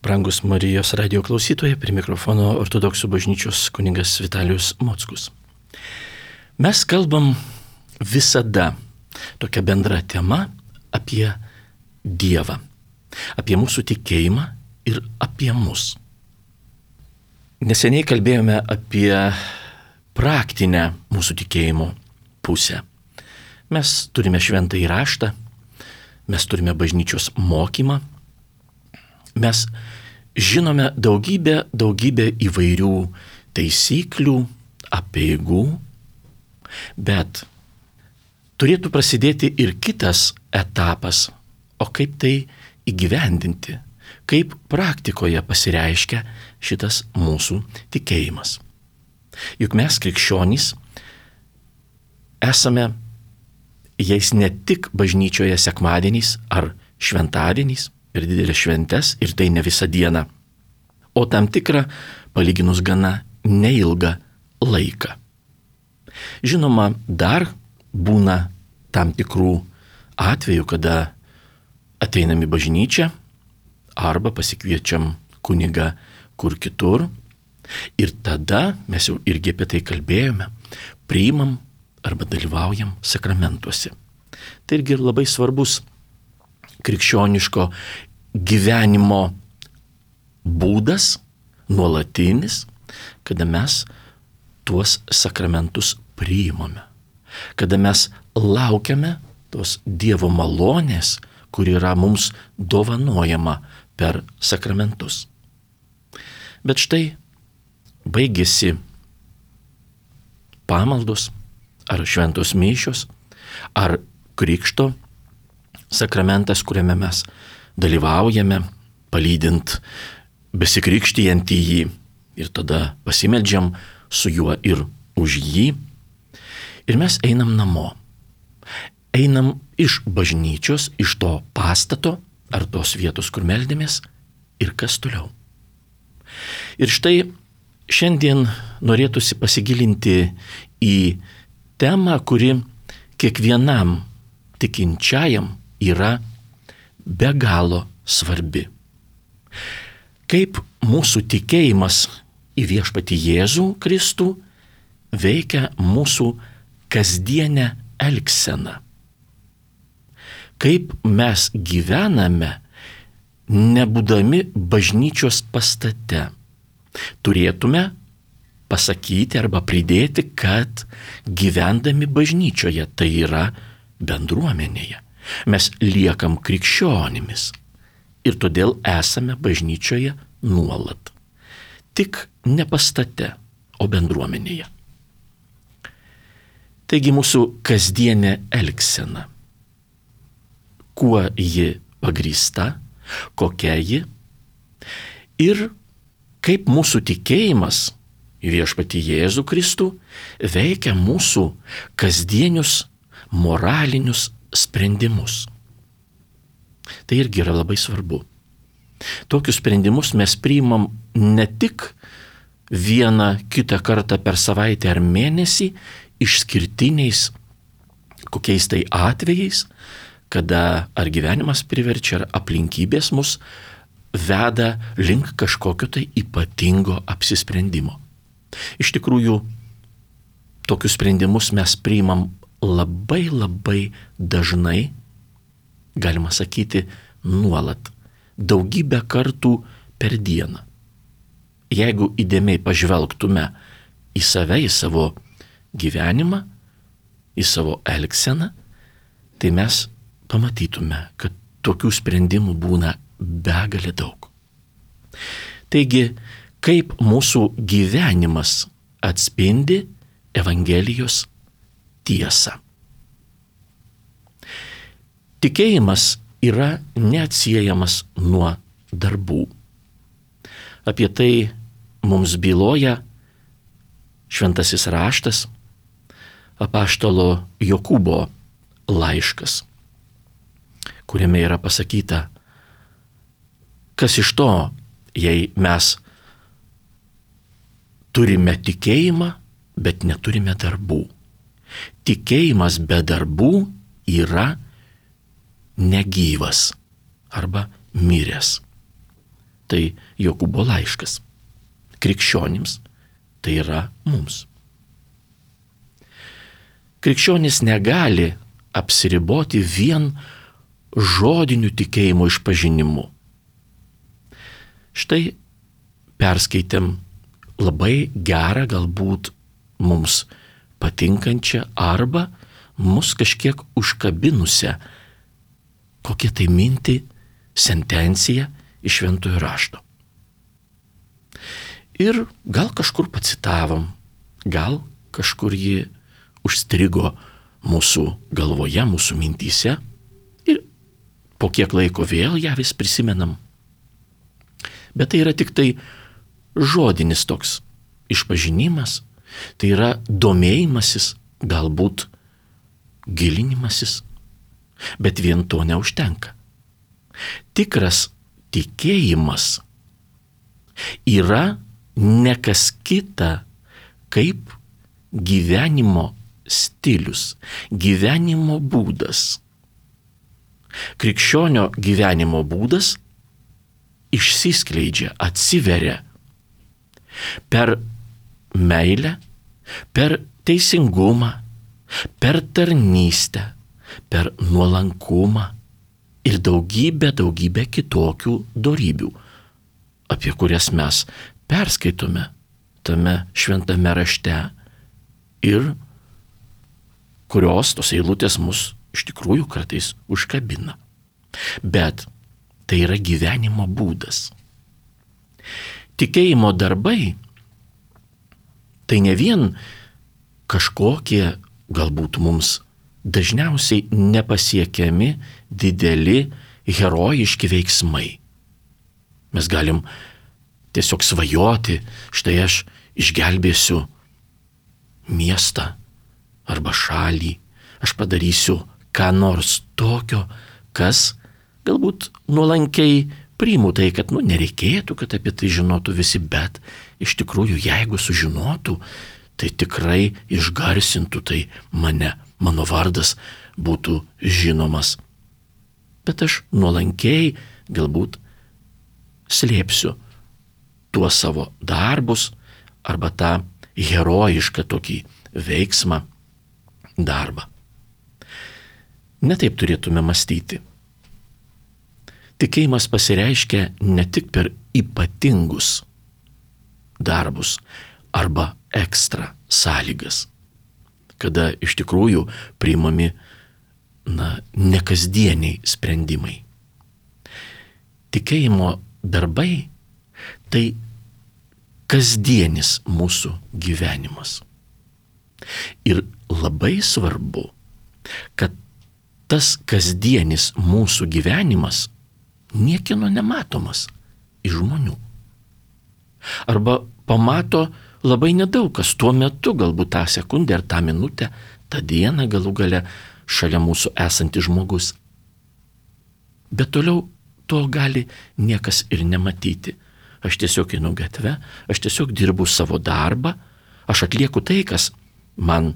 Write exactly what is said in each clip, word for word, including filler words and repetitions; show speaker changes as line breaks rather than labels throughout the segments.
Brangus Marijos radio klausytojai, prie mikrofono Ortodoksų bažnyčios kunigas Vitalijus Mockus. Mes kalbam visada tokia bendra tema apie Dievą, apie mūsų tikėjimą ir apie mus. Neseniai kalbėjome apie praktinę mūsų tikėjimo pusę. Mes turime šventąjį raštą, mes turime bažnyčios mokymą, mes žinome daugybę, daugybę įvairių taisyklių, apeigų, bet turėtų prasidėti ir kitas etapas, o kaip tai įgyvendinti, kaip praktikoje pasireiškia šitas mūsų tikėjimas. Juk mes krikščionys esame jais ne tik bažnyčioje sekmadieniais ar šventadieniais, ir didelės šventes, ir tai ne visą dieną, o tam tikrą, palyginus gana neilgą laiką. Žinoma, dar būna tam tikrų atvejų, kada ateinam į bažnyčią arba pasikviečiam kunigą kur kitur ir tada, mes jau irgi apie tai kalbėjome, priimam arba dalyvaujam sakramentuose. Tai irgi labai svarbus krikščioniško gyvenimo būdas, nuolatinis, kada mes tuos sakramentus priimame, kada mes laukiame tos Dievo malonės, kur yra mums dovanojama per sakramentus. Bet štai baigėsi pamaldos, ar šventos mišios, ar krikšto sakramentas, kuriame mes dalyvaujame, palydint besikrikštijant į jį ir tada pasimeldžiam su juo ir už jį. Ir mes einam namo. Einam iš bažnyčios, iš to pastato ar tos vietos, kur meldėmės ir kas toliau. Ir štai šiandien norėtųsi pasigilinti į temą, kuri kiekvienam tikinčiajam yra be galo svarbi. Kaip mūsų tikėjimas į viešpatį Jėzų Kristų veikia mūsų kasdienę elgseną. Kaip mes gyvename, nebūdami bažnyčios pastate. Turėtume pasakyti arba pridėti, kad gyvendami bažnyčioje, tai yra bendruomenėje, mes liekam krikščionimis ir todėl esame bažnyčioje nuolat. Tik ne pastate, o bendruomenėje. Taigi mūsų kasdienė elgsena. Kuo ji pagrįsta, kokia ji ir kaip mūsų tikėjimas į viešpatį Jėzų Kristų veikia mūsų kasdienius moralinius sprendimus. Tai irgi yra labai svarbu. Tokius sprendimus mes priimam ne tik vieną kitą kartą per savaitę ar mėnesį, išskirtiniais kokiais tai atvejais, kada ar gyvenimas priverčia, ar aplinkybės mus veda link kažkokio tai ypatingo apsisprendimo. Iš tikrųjų, tokius sprendimus mes priimam labai labai dažnai, galima sakyti, nuolat, daugybę kartų per dieną. Jeigu įdėmiai pažvelgtume į save, į savo gyvenimą, į savo elgseną, tai mes pamatytume, kad tokių sprendimų būna begalė daug. Taigi, kaip mūsų gyvenimas atspindi Evangelijos tiesą. Tikėjimas yra neatsiejamas nuo darbų. Apie tai mums byloja šventasis raštas, apaštalo Jokūbo laiškas, kuriame yra pasakyta, kas iš to, jei mes turime tikėjimą, bet neturime darbų. Tikėjimas be darbų yra negyvas arba miręs. tai Jokūbo laiškas. Krikščionims tai yra mums. Krikščionis negali apsiriboti vien žodiniu tikėjimo išpažinimu. Štai perskaitėm labai gerą, galbūt mums patinkančią arba mus kažkiek užkabinusią kokią tai mintį, sentenciją iš Šventojo rašto. Ir gal kažkur pacitavom, gal kažkur ji užstrigo mūsų galvoje, mūsų mintyse ir po kiek laiko vėl ją vis prisimenam. Bet tai yra tik tai žodinis toks išpažinimas, tai yra domėjimasis, galbūt gilinimasis, bet vien to neužtenka. Tikras tikėjimas yra ne kas kita kaip gyvenimo stilius, gyvenimo būdas. Krikščionio gyvenimo būdas išsiskleidžia, atsiveria per meilę, per teisingumą, per tarnystę, per nuolankumą ir daugybę, daugybę kitokių dorybių, apie kurias mes perskaitome tame šventame rašte ir kurios tos eilutės mus iš tikrųjų kartais užkabina. Bet tai yra gyvenimo būdas. Tikėjimo darbai tai ne vien kažkokie galbūt mums dažniausiai nepasiekiami dideli herojiški veiksmai. Mes galim tiesiog svajoti, štai aš išgelbėsiu miestą arba šalį, aš padarysiu ką nors tokio, kas galbūt nuolankiai priimu tai, kad nu, nereikėtų, kad apie tai žinotų visi, bet iš tikrųjų, jeigu sužinotų, tai tikrai išgarsintų tai mane, mano vardas būtų žinomas. Bet aš nuolankiai galbūt slėpsiu tuos savo darbus arba tą herojišką tokį veiksmą, darbą. Netaip turėtume mąstyti. Tikėjimas pasireiškia ne tik per ypatingus darbus arba ekstra sąlygas, kada iš tikrųjų priimami na, nekasdieniai sprendimai. Tikėjimo darbai tai kasdienis mūsų gyvenimas. Ir labai svarbu, kad tas kasdienis mūsų gyvenimas niekieno nematomas iš žmonių. Arba pamato labai nedaug kas tuo metu, galbūt tą sekundę ar tą minutę, tą dieną galų gale šalia mūsų esantis žmogus. Bet toliau to gali niekas ir nematyti. Aš tiesiog einu gatve, aš tiesiog dirbu savo darbą, aš atlieku tai, kas man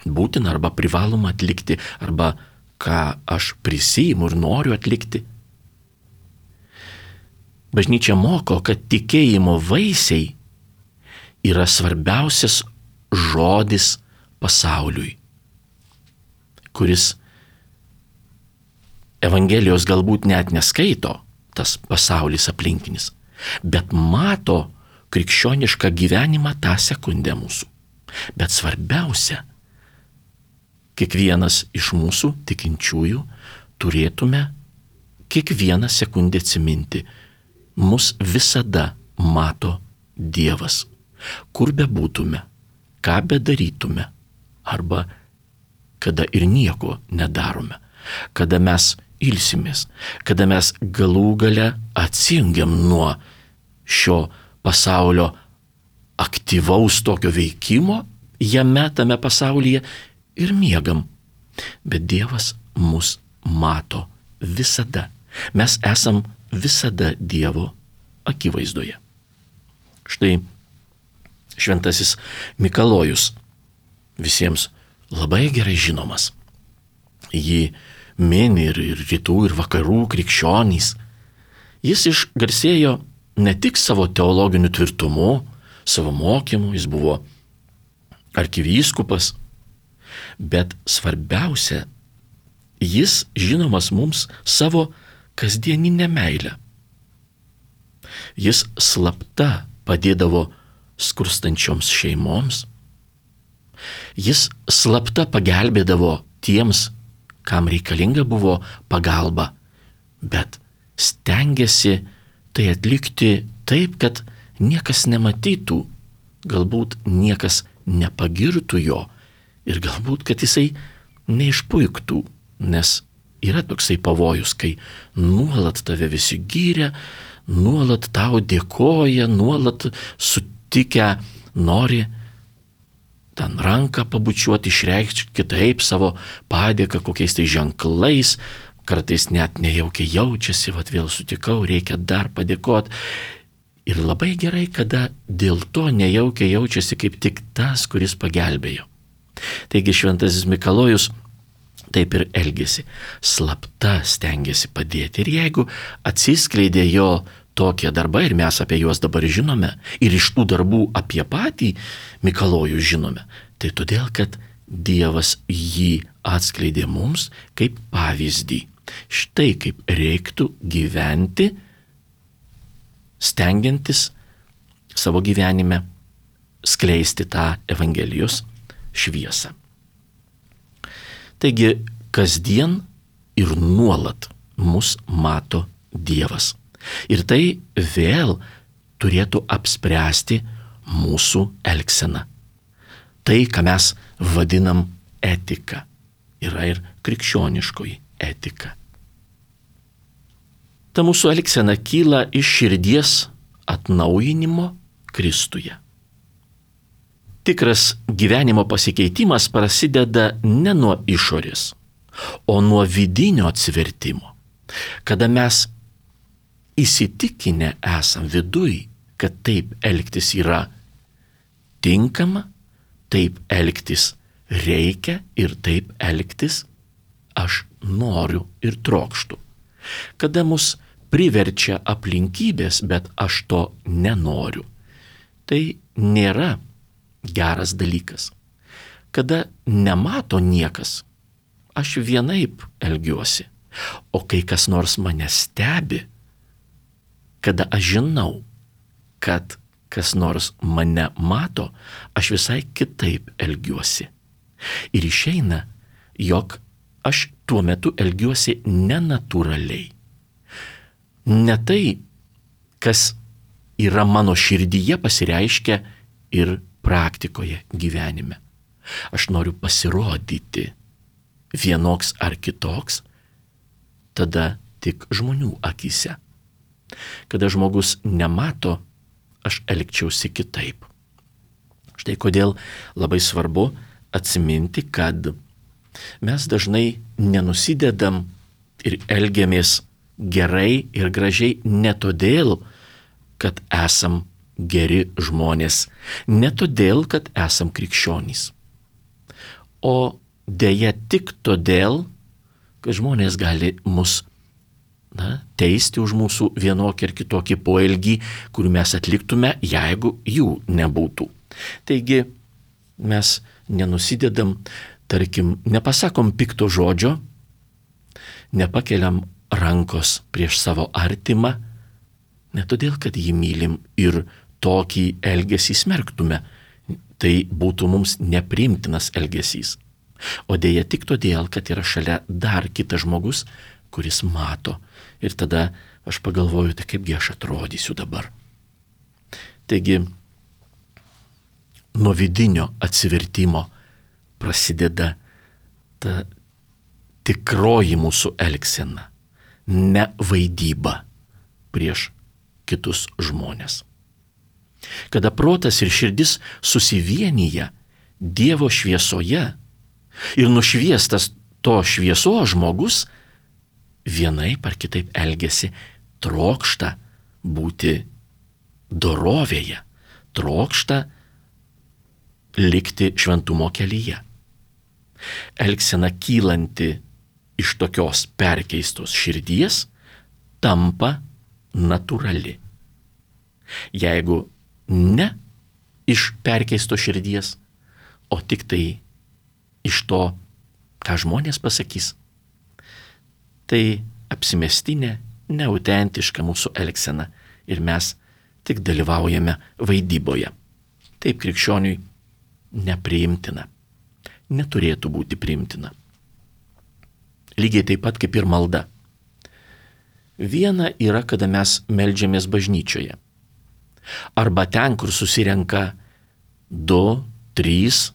būtina arba privaloma atlikti, arba ką aš prisiimu ir noriu atlikti. Bažnyčia moko, kad tikėjimo vaisiai yra svarbiausias žodis pasauliui, kuris Evangelijos galbūt net neskaito, tas pasaulis aplinkinis, bet mato krikščionišką gyvenimą tą sekundę mūsų. Bet svarbiausia, kiekvienas iš mūsų tikinčiųjų turėtume kiekvieną sekundę atsiminti, mus visada mato Dievas, kur bebūtume, ką bedarytume, arba kada ir nieko nedarome, kada mes ilsimės, kada mes galų gale atsijungiam nuo šio pasaulio aktyvaus tokio veikimo, jame tame pasaulyje ir miegam. Bet Dievas mus mato visada. Mes esam visada Dievo akivaizdoje. Štai šventasis Mikalojus, visiems labai gerai žinomas. Jį mini ir, ir rytų, ir vakarų krikščionys. Jis išgarsėjo ne tik savo teologiniu tvirtumu, savo mokymu, jis buvo arkivyskupas, bet svarbiausia, jis žinomas mums savo kasdieninę meilę. Jis slapta padėdavo skurstančioms šeimoms, jis slapta pagelbėdavo tiems, kam reikalinga buvo pagalba, bet stengiasi tai atlikti taip, kad niekas nematytų, galbūt niekas nepagirtų jo ir galbūt, kad jisai neišpuiktų, nes yra toksai pavojus, kai nuolat tave visi gyrė, nuolat tau dėkoja, nuolat sutikę nori ten ranką pabučiuoti, išreikšti kitaip savo padėką kokiais tai ženklais, kartais net nejaukiai jaučiasi, vat vėl sutikau, reikia dar padėkoti. Ir labai gerai, kada dėl to nejaukiai jaučiasi kaip tik tas, kuris pagelbėjo. Taigi šventasis Mikalojus taip ir elgėsi, slapta stengiasi padėti. Ir jeigu atsiskleidė jo tokie darbai, ir mes apie juos dabar žinome, ir iš tų darbų apie patį Mikalojų žinome, tai todėl, kad Dievas jį atskleidė mums kaip pavyzdį. Štai kaip reiktų gyventi, stengiantis savo gyvenime skleisti tą Evangelijos šviesą. Taigi, kasdien ir nuolat mus mato Dievas. Ir tai vėl turėtų apspręsti mūsų elgseną. Tai, ką mes vadinam etika, yra ir krikščioniškoji etika. Ta mūsų elgsena kyla iš širdies atnaujinimo Kristuje. Tikras gyvenimo pasikeitimas prasideda ne nuo išorės, o nuo vidinio atsivertimo. Kada mes įsitikinę esam viduj, kad taip elgtis yra tinkama, taip elgtis reikia ir taip elgtis aš noriu ir trokštu. Kada mus priverčia aplinkybės, bet aš to nenoriu, tai nėra geras dalykas. Kada nemato niekas, aš vienaip elgiuosi, o kai kas nors mane stebi, kada aš žinau, kad kas nors mane mato, aš visai kitaip elgiuosi. Ir išeina, jog aš tuo metu elgiuosi nenatūraliai. Ne tai, kas yra mano širdyje, pasireiškia ir praktikoje gyvenime. Aš noriu pasirodyti vienoks ar kitoks, tada tik žmonių akyse. Kada žmogus nemato, aš elgčiausi kitaip. Štai kodėl labai svarbu atsiminti, kad mes dažnai nenusidedam ir elgiamės gerai ir gražiai ne todėl, kad esam geri žmonės, ne todėl, kad esam krikščionys, o dėja tik todėl, kad žmonės gali mus na, teisti už mūsų vienokį ir kitokį poelgį, kurį mes atliktume, jeigu jų nebūtų. Taigi mes nenusidedam, tarkim, nepasakom pikto žodžio, nepakeliam rankos prieš savo artimą, ne todėl, kad jį mylim ir tokį elgesį smerktume, tai būtų mums nepriimtinas elgesys. O dėja tik todėl, kad yra šalia dar kitas žmogus, kuris mato. Ir tada aš pagalvoju, tai kaipgi aš atrodysiu dabar. Taigi, nuo vidinio atsivertimo prasideda ta tikroji mūsų elgsena, ne vaidyba prieš kitus žmonės. Kada protas ir širdis susivienyja Dievo šviesoje ir nušviestas to šviesos žmogus vienaip ar kitaip elgiasi, trokšta būti dorovėje, trokšta likti šventumo kelyje. Elgsena kylanti iš tokios perkeistos širdies tampa natūrali. Jeigu ne iš perkeisto širdies, o tik tai iš to, ką žmonės pasakys, tai apsimestinė, neautentiška mūsų elgsena ir mes tik dalyvaujame vaidyboje. Taip krikščioniui nepriimtina, neturėtų būti priimtina. Lygiai taip pat kaip ir malda. Viena yra, kada mes meldžiamės bažnyčioje. Arba ten, kur susirenka du, trys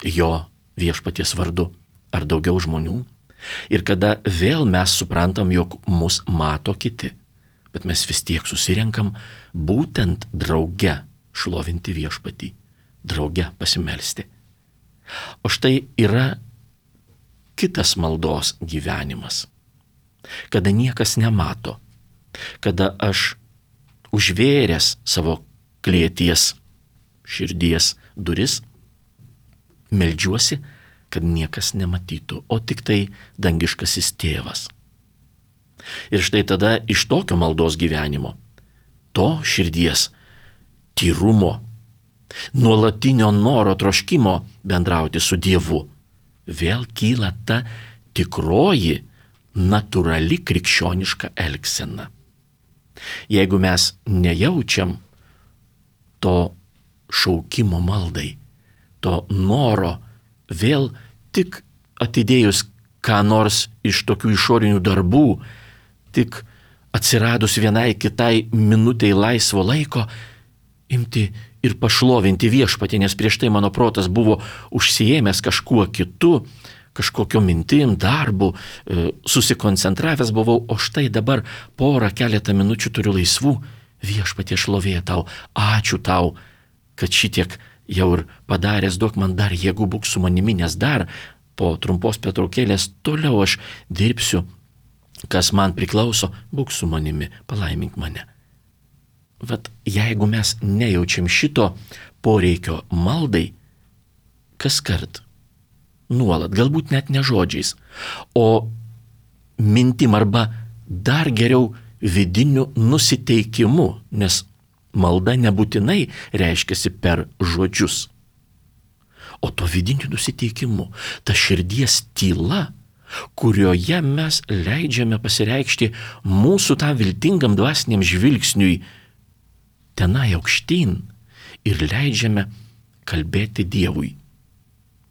jo viešpaties vardu ar daugiau žmonių. Ir kada vėl mes suprantam, jog mus mato kiti. Bet mes vis tiek susirenkam būtent drauge šlovinti viešpatį, drauge pasimelsti. O štai yra kitas maldos gyvenimas, kada niekas nemato, kada aš užvėręs savo klėties širdies duris, meldžiuosi, kad niekas nematytų, o tik tai dangiškasis tėvas. Ir štai tada iš tokio maldos gyvenimo, to širdies tyrumo, nuolatinio noro troškimo bendrauti su Dievu, vėl kyla ta tikroji, natūrali krikščioniška elgsena. Jeigu mes nejaučiam to šaukimo maldai, to noro vėl tik atidėjus ką nors iš tokių išorinių darbų, tik atsiradus vienai kitai minutei laisvo laiko, imti ir pašlovinti viešpatį, nes prieš tai mano protas buvo užsiėmęs kažkuo kitu, kažkokio mintim, darbu, susikoncentravęs buvau, o štai dabar porą keletą minučių turiu laisvų, viešpatie šlovė tau, ačiū tau, kad šitiek jau ir padaręs, duok man dar jėgų, būk su manimi, nes dar po trumpos pertraukėlės toliau aš dirbsiu, kas man priklauso, būk su manimi, palaimink mane. Vat jeigu mes nejaučiam šito poreikio maldai, kas kart, nuolat, galbūt net ne žodžiais, o mintim arba dar geriau vidiniu nusiteikimu, nes malda nebūtinai reiškiasi per žodžius, o to vidiniu nusiteikimu, ta širdies tyla, kurioje mes leidžiame pasireikšti mūsų tą viltingam dvasiniam žvilgsniui tenai aukštyn ir leidžiame kalbėti Dievui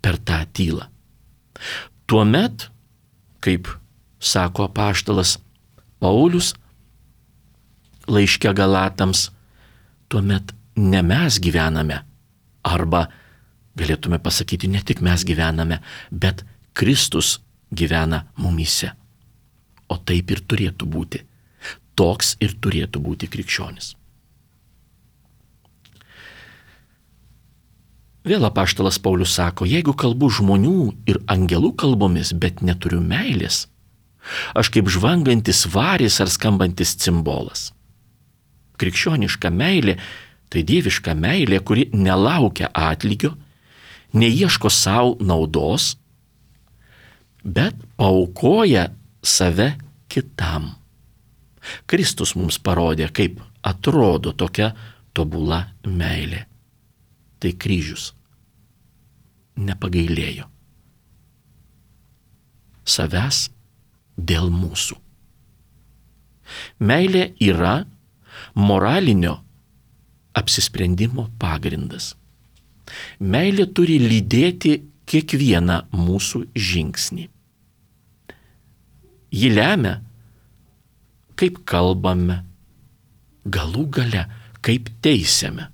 per tą tylą. Tuomet, kaip sako apaštalas Paulius laiške Galatams, tuomet ne mes gyvename, arba galėtume pasakyti, ne tik mes gyvename, bet Kristus gyvena mumyse. O taip ir turėtų būti. Toks ir turėtų būti krikščionis. Vėl apaštalas Paulius sako, jeigu kalbu žmonių ir angelų kalbomis, bet neturiu meilės, aš kaip žvangantis varis ar skambantis cimbolas. Krikščioniška meilė tai dieviška meilė, kuri nelaukia atlygio, neieško savo naudos, bet paaukoja save kitam. Kristus mums parodė, kaip atrodo tokia tobula meilė. Tai kryžius. Nepagailėjo. Savęs dėl mūsų. Meilė yra moralinio apsisprendimo pagrindas. Meilė turi lydėti kiekvieną mūsų žingsnį. Ji lemia, kaip kalbame, galų gale, kaip teisiame.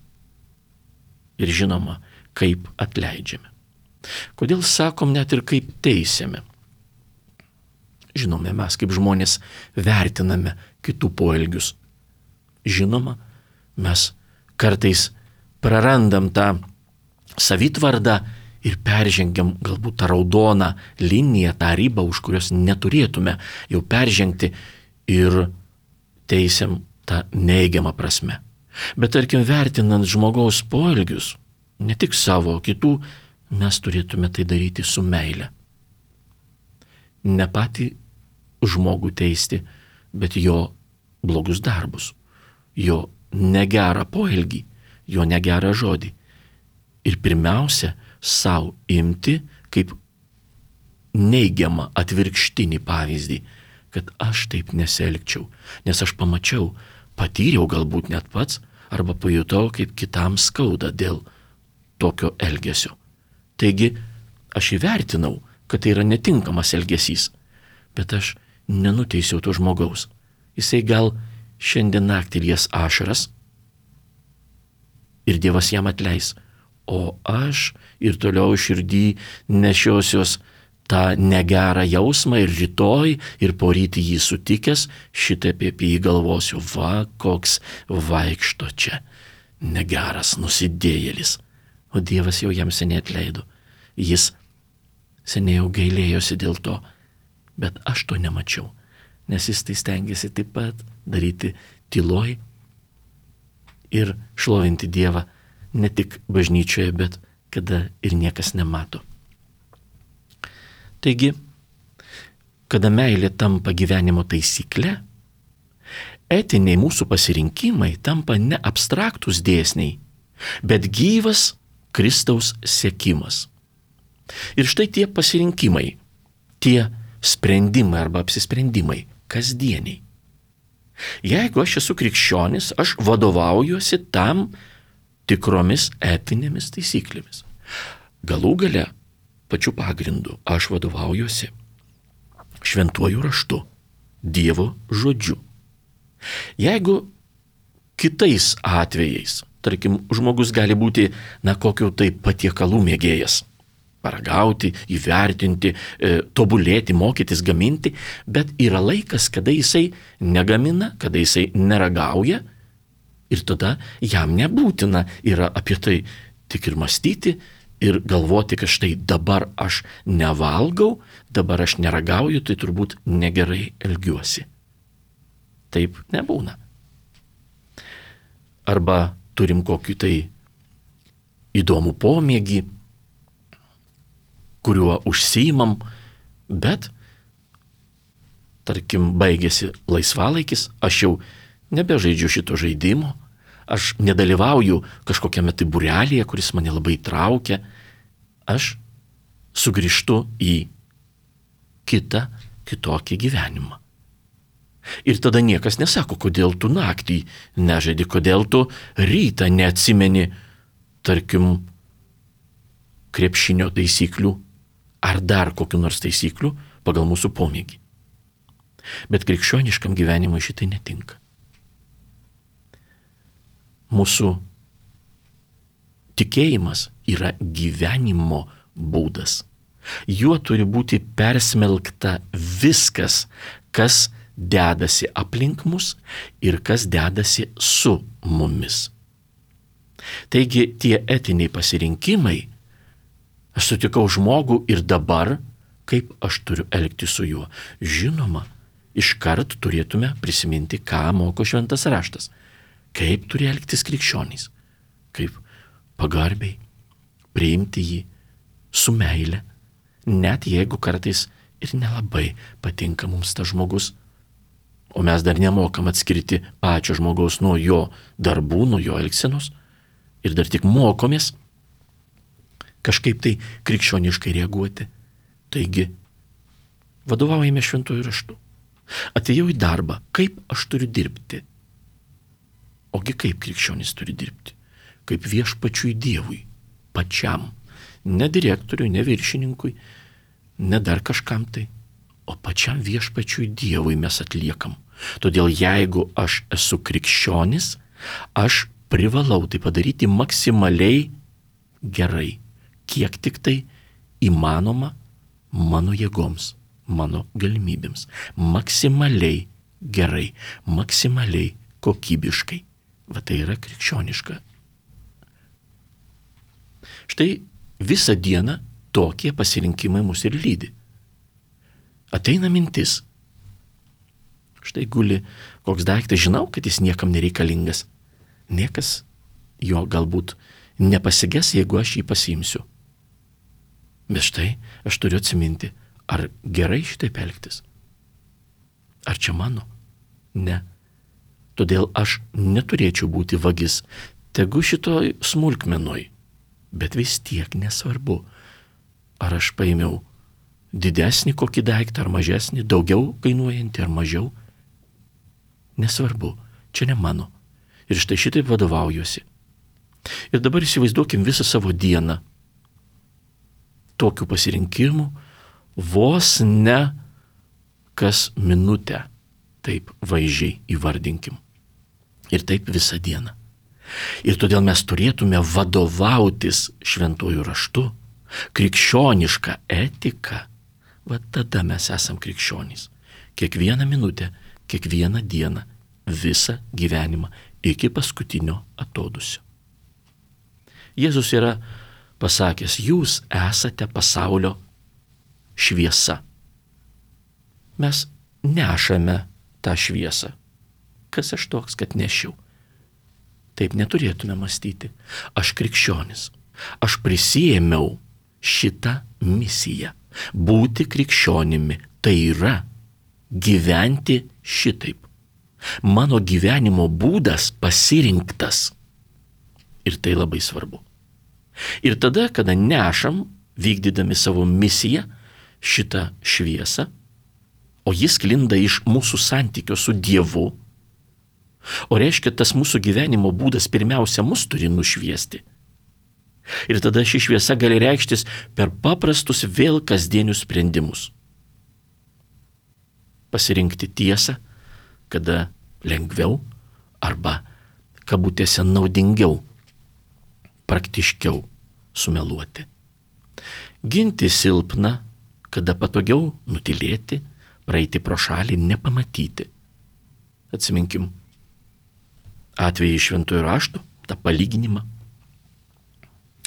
Ir žinoma, kaip atleidžiame. Kodėl sakom net ir kaip teisiame? Žinome, mes kaip žmonės vertiname kitų poelgius. Žinoma, mes kartais prarandam tą savitvardą ir peržengiam galbūt tą raudoną liniją, tą ribą, už kurios neturėtume jau peržengti ir teisiam tą neigiamą prasme. Bet tarkim, vertinant žmogaus poelgius, ne tik savo, kitų, mes turėtume tai daryti su meile. Ne patį žmogų teisti, bet jo blogus darbus, jo negerą poelgį, jo negerą žodį. Ir pirmiausia, savo imti kaip neigiamą atvirkštinį pavyzdį, kad aš taip nesielgčiau, nes aš pamačiau, patyriau galbūt net pats, arba pajutau, kaip kitam skauda dėl tokio elgesio. Taigi, aš įvertinau, kad tai yra netinkamas elgesys, bet aš nenuteisiau to žmogaus. Jisai gal šiandien naktį lies ašaras ir Dievas jam atleis, o aš ir toliau širdį nešiosios tą negerą jausmą ir rytoj ir poryt jį sutikęs, šitaip apie jį galvosiu, va, koks vaikšto čia, negeras nusidėjėlis. O Dievas jau jam seniai atleido. Jis seniai jau gailėjosi dėl to, bet aš to nemačiau, nes jis tai stengiasi taip pat daryti tyloj ir šlovinti Dievą ne tik bažnyčioje, bet kada ir niekas nemato. Taigi, kada meilė tampa gyvenimo taisykle, etiniai mūsų pasirinkimai tampa ne abstraktus dėsniai, bet gyvas Kristaus sekimas. Ir štai tie pasirinkimai, tie sprendimai arba apsisprendimai kasdieniai. Jeigu aš esu krikščionis, aš vadovaujuosi tam tikromis etinėmis taisyklėmis. Galų gale, pačiu pagrindu, aš vadovaujuosi šventuoju raštu, Dievo žodžiu. Jeigu kitais atvejais, tarkim, žmogus gali būti, na, kokiu tai patiekalų mėgėjas, paragauti, įvertinti, e, tobulėti, mokytis, gaminti, bet yra laikas, kada jisai negamina, kada jisai neragauja ir tada jam nebūtina yra apie tai tik ir mąstyti ir galvoti, kad štai dabar aš nevalgau, dabar aš neragauju, tai turbūt negerai elgiuosi. Taip nebūna. Arba turim kokį tai įdomų pomėgį, kuriuo užsiimam, bet, tarkim, baigėsi laisvalaikis, aš jau nebežaidžiu šito žaidimo, aš nedalyvauju kažkokiame tai būrelėje, kuris mane labai traukia, aš sugrįžtu į kitą, kitokį gyvenimą. Ir tada niekas nesako, kodėl tu naktį nežaidi, kodėl tu rytą neatsimeni, tarkim, krepšinio taisyklių ar dar kokių nors taisyklių pagal mūsų pomėgį. Bet krikščioniškam gyvenimui šitai netinka. Mūsų tikėjimas yra gyvenimo būdas. Juo turi būti persmelkta viskas, kas dedasi aplink mus ir kas dedasi su mumis. Taigi tie etiniai pasirinkimai, aš sutikau žmogų ir dabar, kaip aš turiu elgti su juo. Žinoma, iškart turėtume prisiminti, ką moko šventas raštas. Kaip turi elgtis krikščionys. Kaip pagarbiai priimti jį su meile, net jeigu kartais ir nelabai patinka mums tas žmogus. O mes dar nemokam atskirti pačio žmogaus nuo jo darbų, nuo jo elgsenos. Ir dar tik mokomės kažkaip tai krikščioniškai reaguoti. Taigi, vadovaujame šventuoju raštu. Atėjau į darbą, kaip aš turiu dirbti? Ogi kaip krikščionis turi dirbti? Kaip viešpačiui Dievui, pačiam. Ne direktoriui, ne viršininkui, ne dar kažkam tai, o pačiam viešpačiui Dievui mes atliekam. Todėl jeigu aš esu krikščionis, aš privalau tai padaryti maksimaliai gerai, kiek tik tai įmanoma mano jėgoms, mano galimybėms. Maksimaliai gerai, maksimaliai kokybiškai. Va tai yra krikščioniška. Štai visą dieną tokie pasirinkimai mus ir lydi. Ateina mintis. Štai guli koks daiktas, žinau, kad jis niekam nereikalingas. Niekas jo galbūt nepasiges, jeigu aš jį pasiimsiu. Bet štai aš turiu atsiminti, ar gerai šitaip elgtis? Ar čia mano? Ne. Todėl aš neturėčiau būti vagis, tegu šitoj smulkmenoj, bet vis tiek nesvarbu, ar aš paėmiau didesnį kokį daiktą ar mažesnį, daugiau kainuojantį ar mažiau. Nesvarbu, čia ne mano. Ir štai šitaip vadovaujuosi. Ir dabar įsivaizduokim visą savo dieną tokių pasirinkimų, vos ne kas minutę, taip vaizdžiai įvardinkim. Ir taip visą dieną. Ir todėl mes turėtume vadovautis šventuoju raštu, krikščionišką etiką. Va tada mes esam krikščionys. Kiekvieną minutę, kiekvieną dieną, visą gyvenimą iki paskutinio atodūsio. Jėzus yra pasakęs, jūs esate pasaulio šviesa. Mes nešame tą šviesą. Kas aš toks, kad nešiau? Taip neturėtume mąstyti. Aš krikščionis. Aš prisiėmiau šitą misiją. Būti krikščionimi tai yra gyventi šitaip. Mano gyvenimo būdas pasirinktas. Ir tai labai svarbu. Ir tada, kada nešam, vykdydami savo misiją, šitą šviesą, o jis sklinda iš mūsų santykio su Dievu, o reiškia, tas mūsų gyvenimo būdas pirmiausia mus turi nušviesti. Ir tada ši šviesa gali reikštis per paprastus vėl kasdienius sprendimus. Pasirinkti tiesą, kada lengviau arba kabutėse naudingiau, praktiškiau sumeluoti. Ginti silpną, kada patogiau nutilėti, praeiti pro šalį, nepamatyti. Atsiminkim atvejį iš šventojo rašto, tą palyginimą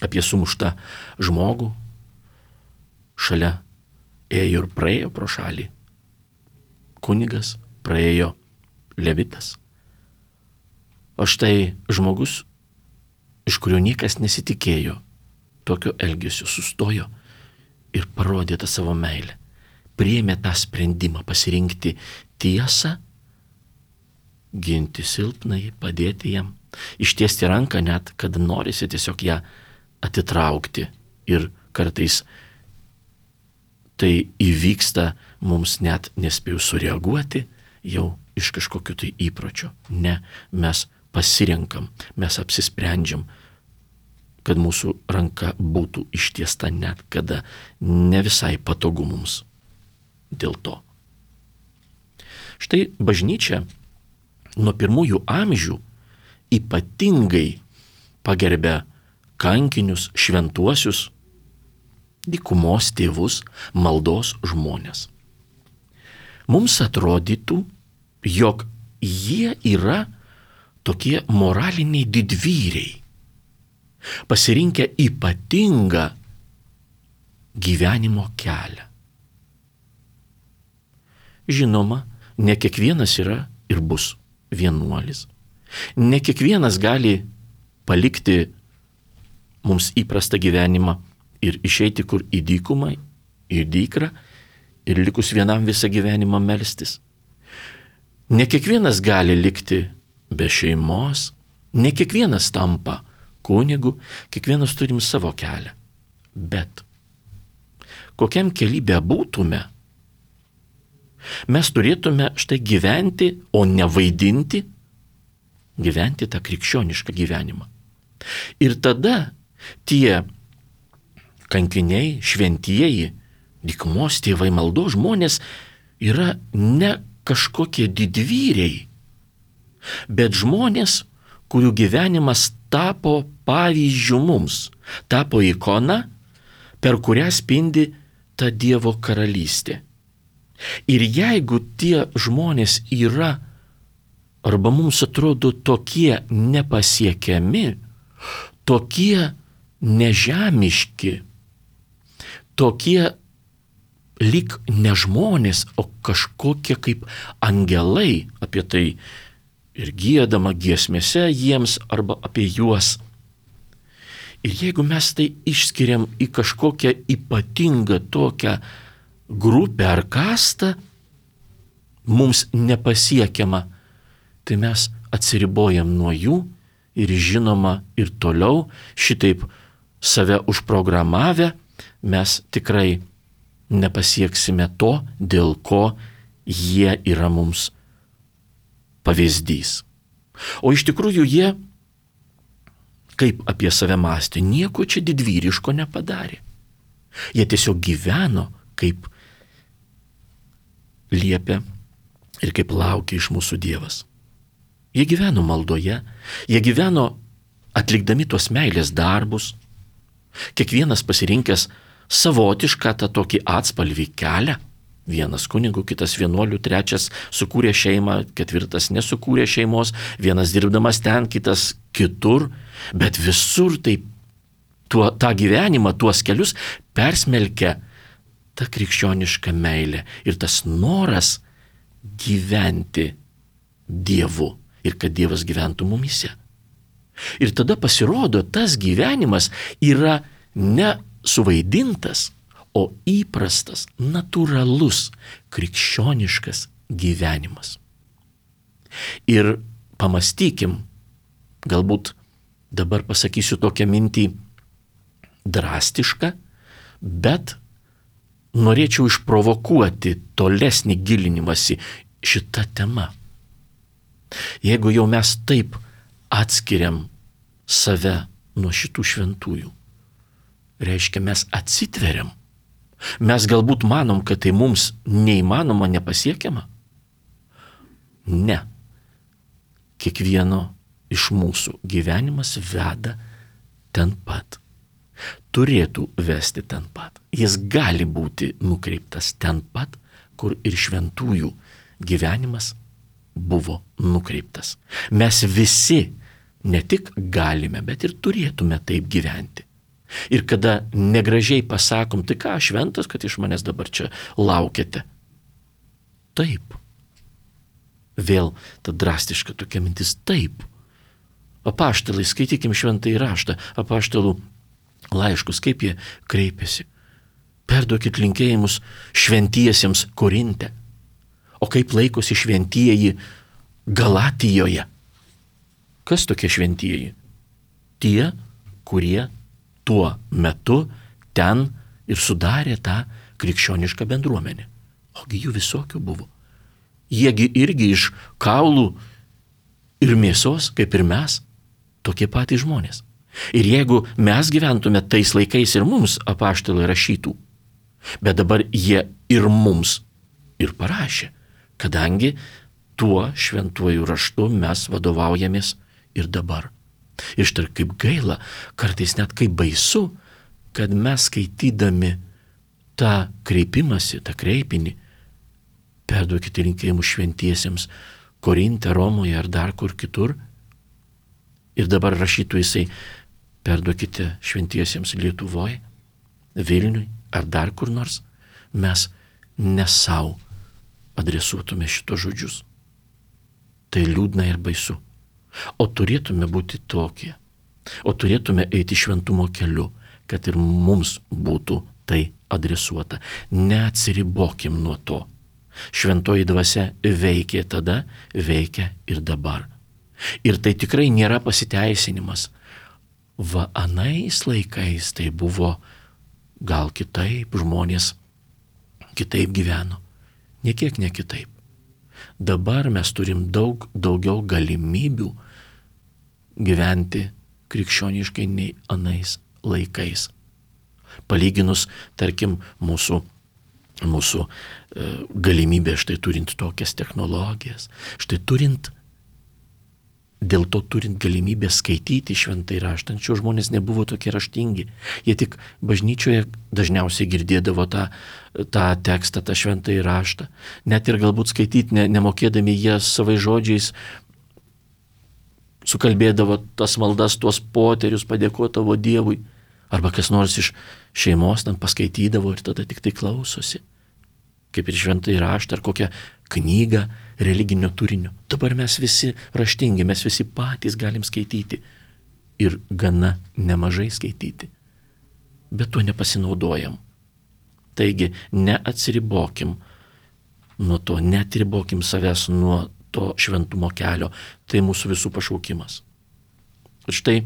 apie sumuštą žmogų. Šalia ėjo ir praėjo pro šalį kunigas, praėjo levitas. O štai žmogus, iš kurio niekas nesitikėjo tokio elgesio, sustojo ir parodė tą savo meilę. Priėmė tą sprendimą pasirinkti tiesą, ginti silpnai, padėti jam, ištiesti ranką net, kad norisi tiesiog ją atitraukti. Ir kartais tai įvyksta mums net nespėjus sureaguoti jau iš kažkokiu tai įpročio. Ne, mes pasirenkam, mes apsisprendžiam, kad mūsų ranka būtų ištiesta net, kada ne visai patogu mums dėl to. Štai bažnyčia nuo pirmųjų amžių ypatingai pagerbė kankinius, šventuosius, dykumos tėvus, maldos žmonės. Mums atrodytų, jog jie yra tokie moraliniai didvyriai, pasirinkę ypatingą gyvenimo kelią. Žinoma, ne kiekvienas yra ir bus vienuolis. Ne kiekvienas gali palikti mums įprastą gyvenimą ir išeiti kur į dykumą, į dykrą ir likus vienam visą gyvenimą melstis. Ne kiekvienas gali likti be šeimos, ne kiekvienas tampa kunigu, kiekvienas turim savo kelią. Bet kokiam kely bebūtume, mes turėtume štai gyventi, o ne vaidinti, gyventi tą krikščionišką gyvenimą. Ir tada tie kankiniai, šventieji, dykumos tėvai, maldos žmonės yra ne kažkokie didvyriai, bet žmonės, kurių gyvenimas tapo pavyzdžiu mums, tapo ikona, per kurią spindi ta Dievo karalystė. Ir jeigu tie žmonės yra, arba mums atrodo tokie nepasiekiami, tokie nežemiški, tokie lyg ne žmonės, o kažkokie kaip angelai, apie tai ir giedama giesmėse jiems arba apie juos. Ir jeigu mes tai išskiriam į kažkokią ypatingą tokią grupę ar kastą, mums nepasiekiama, tai mes atsiribojam nuo jų ir žinoma ir toliau šitaip save užprogramavę, mes tikrai nepasieksime to, dėl ko jie yra mums pavyzdys. O iš tikrųjų jie, kaip apie save mąstė, nieko čia didvyriško nepadarė. Jie tiesiog gyveno, kaip liepia ir kaip laukia iš mūsų Dievas. Jie gyveno maldoje, jie gyveno atlikdami tuos meilės darbus, kiekvienas pasirinkęs savotišką tą tokį atspalvį kelią. Vienas kunigų, kitas vienuolių, trečias sukūrė šeimą, ketvirtas nesukūrė šeimos, vienas dirbdamas ten, kitas kitur, bet visur taip tuo, tą gyvenimą, tuos kelius persmelkia ta krikščioniška meilė ir tas noras gyventi Dievu ir kad Dievas gyventų mumyse. Ir tada pasirodo, tas gyvenimas yra ne suvaidintas, o įprastas, natūralus, krikščioniškas gyvenimas. Ir pamastykim, galbūt dabar pasakysiu tokią mintį drastišką, bet norėčiau išprovokuoti tolesnį gilinimąsi šitą temą. Jeigu jau mes taip atskiriam save nuo šitų šventųjų, reiškia mes atsitveriam. Mes galbūt manom, kad tai mums neįmanoma, nepasiekiama. Ne. Kiekvieno iš mūsų gyvenimas veda ten pat. Turėtų vesti ten pat. Jis gali būti nukreiptas ten pat, kur ir šventųjų gyvenimas buvo nukreiptas. Mes visi ne tik galime, bet ir turėtume taip gyventi. Ir kada negražiai pasakom, tai ką, šventas, kad iš manęs dabar čia laukiate. Taip. Vėl ta drastiška tokia mintis, taip. Apaštalai, skaitykim šventąjį raštą, apaštalų laiškus, kaip jie kreipiasi. Perduokit linkėjimus šventiesiems Korinte. O kaip laikosi šventieji Galatijoje? Kas tokie šventieji? Tie, kurie tuo metu ten ir sudarė tą krikščionišką bendruomenę. Ogi jų visokių buvo. Jiegi irgi iš kaulų ir mėsos, kaip ir mes, tokie patys žmonės. Ir jeigu mes gyventume tais laikais ir mums apaštalai rašytų, bet dabar jie ir mums ir parašė, kadangi tuo šventuoju raštu mes vadovaujamės ir dabar. Ir štai kaip gaila, kartais net kaip baisu, kad mes skaitydami tą kreipimąsi, tą kreipinį, perduokite linkėjimus šventiesiems Korinte, Romoje ar dar kur kitur, ir dabar rašytų jisai, perduokite šventiesiems Lietuvoje, Vilniui ar dar kur nors, mes ne savo adresuotume šitos žodžius. Tai liūdna ir baisu. O turėtume būti tokie, o turėtume eiti šventumo keliu, kad ir mums būtų tai adresuota. Neatsiribokim nuo to. Šventoji dvasia veikė tada, veikia ir dabar. Ir tai tikrai nėra pasiteisinimas. Va anais laikais tai buvo gal kitaip, žmonės kitaip gyveno. Niekiek ne kitaip. Dabar mes turim daug daugiau galimybių gyventi krikščioniškai nei anais laikais. Palyginus, tarkim, mūsų, mūsų e, galimybė štai turint tokias technologijas, štai turint, dėl to turint galimybę skaityti šventąjį raštą, anksčiau žmonės nebuvo tokie raštingi. Jie tik bažnyčioje dažniausiai girdėdavo tą, tą tekstą, tą šventąjį raštą. Net ir galbūt skaityti ne, nemokėdami jie savai žodžiais sukalbėdavo tas maldas, tuos poterius, padėkodavo Dievui. Arba kas nors iš šeimos ten paskaitydavo ir tada tik tai klausosi. Kaip ir šventąjį raštą ar kokią knygą religinio turinio. Dabar mes visi raštingi, mes visi patys galim skaityti ir gana nemažai skaityti. Bet tuo nepasinaudojam. Taigi neatsiribokim nuo to, neatsiribokim savęs nuo to šventumo kelio. Tai mūsų visų pašaukimas. Ir štai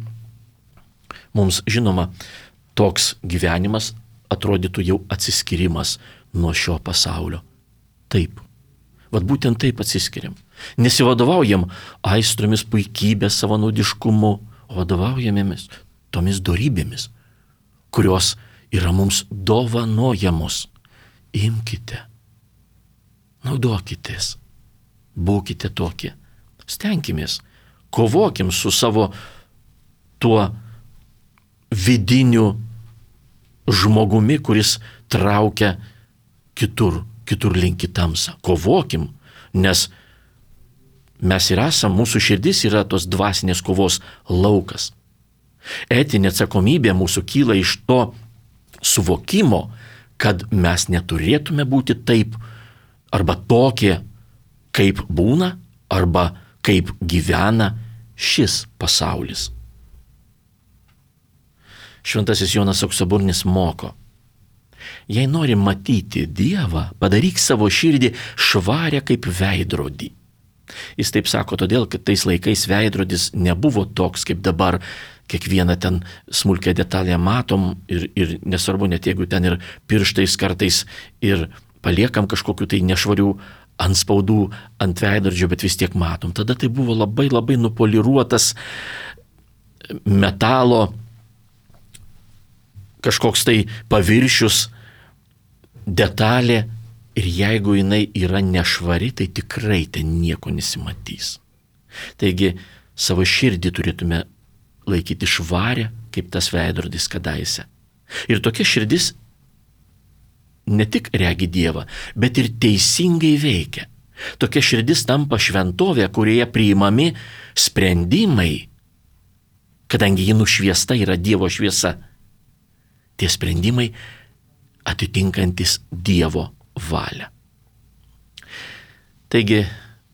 mums žinoma, toks gyvenimas atrodytų jau atsiskirimas nuo šio pasaulio. Taip. Vat būtent taip atsiskiriam. Nesivadovaujam aistromis, puikybės, savanaudiškumu, o vadovaujamėmis tomis dorybėmis, kurios yra mums dovanojamos. Imkite, naudokitės, būkite tokie. Stenkimės, kovokim su savo tuo vidiniu žmogumi, kuris traukia kitur, kitur link į tamsą. Kovokim, nes mes ir esam, mūsų širdis yra tos dvasinės kovos laukas. Etinė atsakomybė mūsų kyla iš to suvokimo, kad mes neturėtume būti taip arba tokie, kaip būna, arba kaip gyvena šis pasaulis. Šventasis Jonas Auksaburnis moko: jei nori matyti Dievą, padaryk savo širdį švarę kaip veidrodį. Jis taip sako todėl, kad tais laikais veidrodis nebuvo toks kaip dabar. Kiekvieną ten smulkę detalę matom ir, ir nesvarbu, net jeigu ten ir pirštais kartais ir paliekam kažkokiu tai nešvarių antspaudų ant veidrodžio, bet vis tiek matom. Tada tai buvo labai labai nupoliruotas metalo kažkoks tai paviršius, detalė, ir jeigu jinai yra nešvari, tai tikrai ten nieko nesimatys. Taigi savo širdį turėtume laikyti švarę, kaip tas veidrodis kadaise. Ir tokia širdis ne tik regi Dievą, bet ir teisingai veikia. Tokia širdis tampa šventovė, kurioje priimami sprendimai, kadangi ji nušviesta yra Dievo šviesa. Tie sprendimai atitinkantis Dievo valią. Taigi,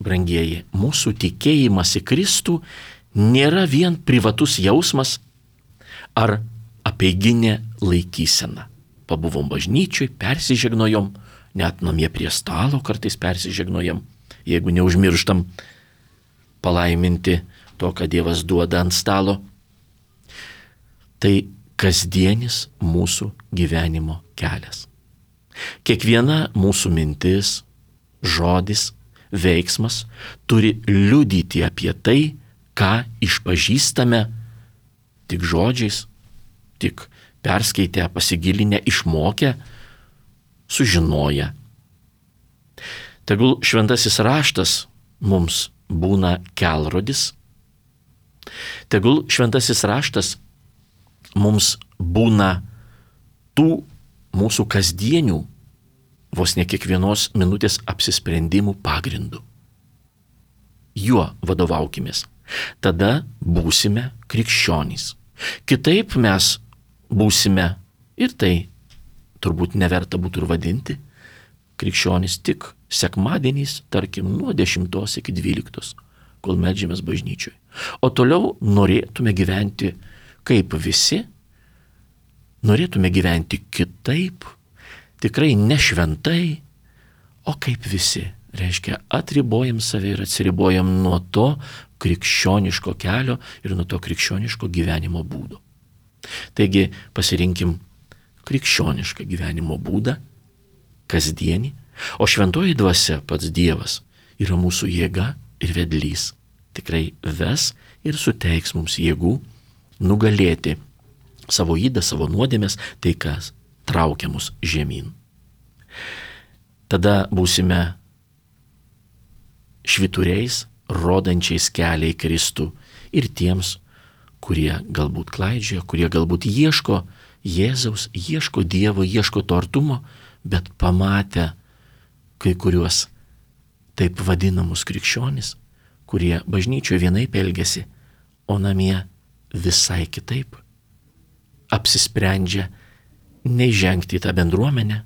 brangieji, mūsų tikėjimas į Kristų nėra vien privatus jausmas ar apeiginė laikysena. Pabuvom bažnyčioj, persižegnojom, net namie prie stalo kartais persižegnojom, jeigu neužmirštam palaiminti to, ką Dievas duoda ant stalo. Tai kasdienis mūsų gyvenimo kelias. Kiekviena mūsų mintis, žodis, veiksmas turi liudyti apie tai, ką išpažįstame tik žodžiais, tik perskaitę, pasigilinę, išmokę, sužinoję. Tegul šventasis raštas mums būna kelrodis, tegul šventasis raštas mums būna tų mūsų kasdienių, vos ne kiekvienos minutės apsisprendimų pagrindų. Juo vadovaukimės. Tada būsime krikščionys. Kitaip mes būsime, ir tai turbūt neverta būtų ir vadinti, krikščionys tik sekmadieniais, tarkim, nuo dešimtos iki dvyliktos, kol meldžiamės bažnyčioj. O toliau norėtume gyventi kaip visi, norėtume gyventi kitaip, tikrai ne šventai, o kaip visi. Reiškia, atribojam save ir atsiribojam nuo to krikščioniško kelio ir nuo to krikščioniško gyvenimo būdo. Taigi pasirinkim krikščionišką gyvenimo būdą, kasdienį, o šventoji dvasia, pats Dievas, yra mūsų jėga ir vedlys. Tikrai ves ir suteiks mums jėgų nugalėti savo ydą, savo nuodėmes, tai kas traukia mus žemyn. Tada būsime švyturiais, rodančiais kelią į Kristų ir tiems, kurie galbūt klaidžioja, kurie galbūt ieško Jėzaus, ieško Dievo, ieško to artumo, bet pamatę kai kuriuos taip vadinamus krikščionis, kurie bažnyčioje vienaip elgiasi, o namie visai kitaip, apsisprendžia neįžengti į tą bendruomenę,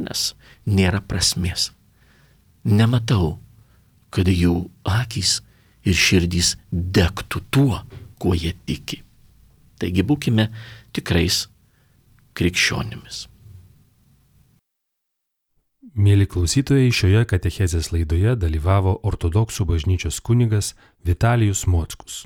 nes nėra prasmės. Nematau, kad jų akys ir širdys degtų tuo, kuo jie tiki. Taigi būkime tikrais krikščionimis.
Mėly klausytojai, šioje katechezės laidoje dalyvavo ortodoksų bažnyčios kunigas Vitalijus Mockus.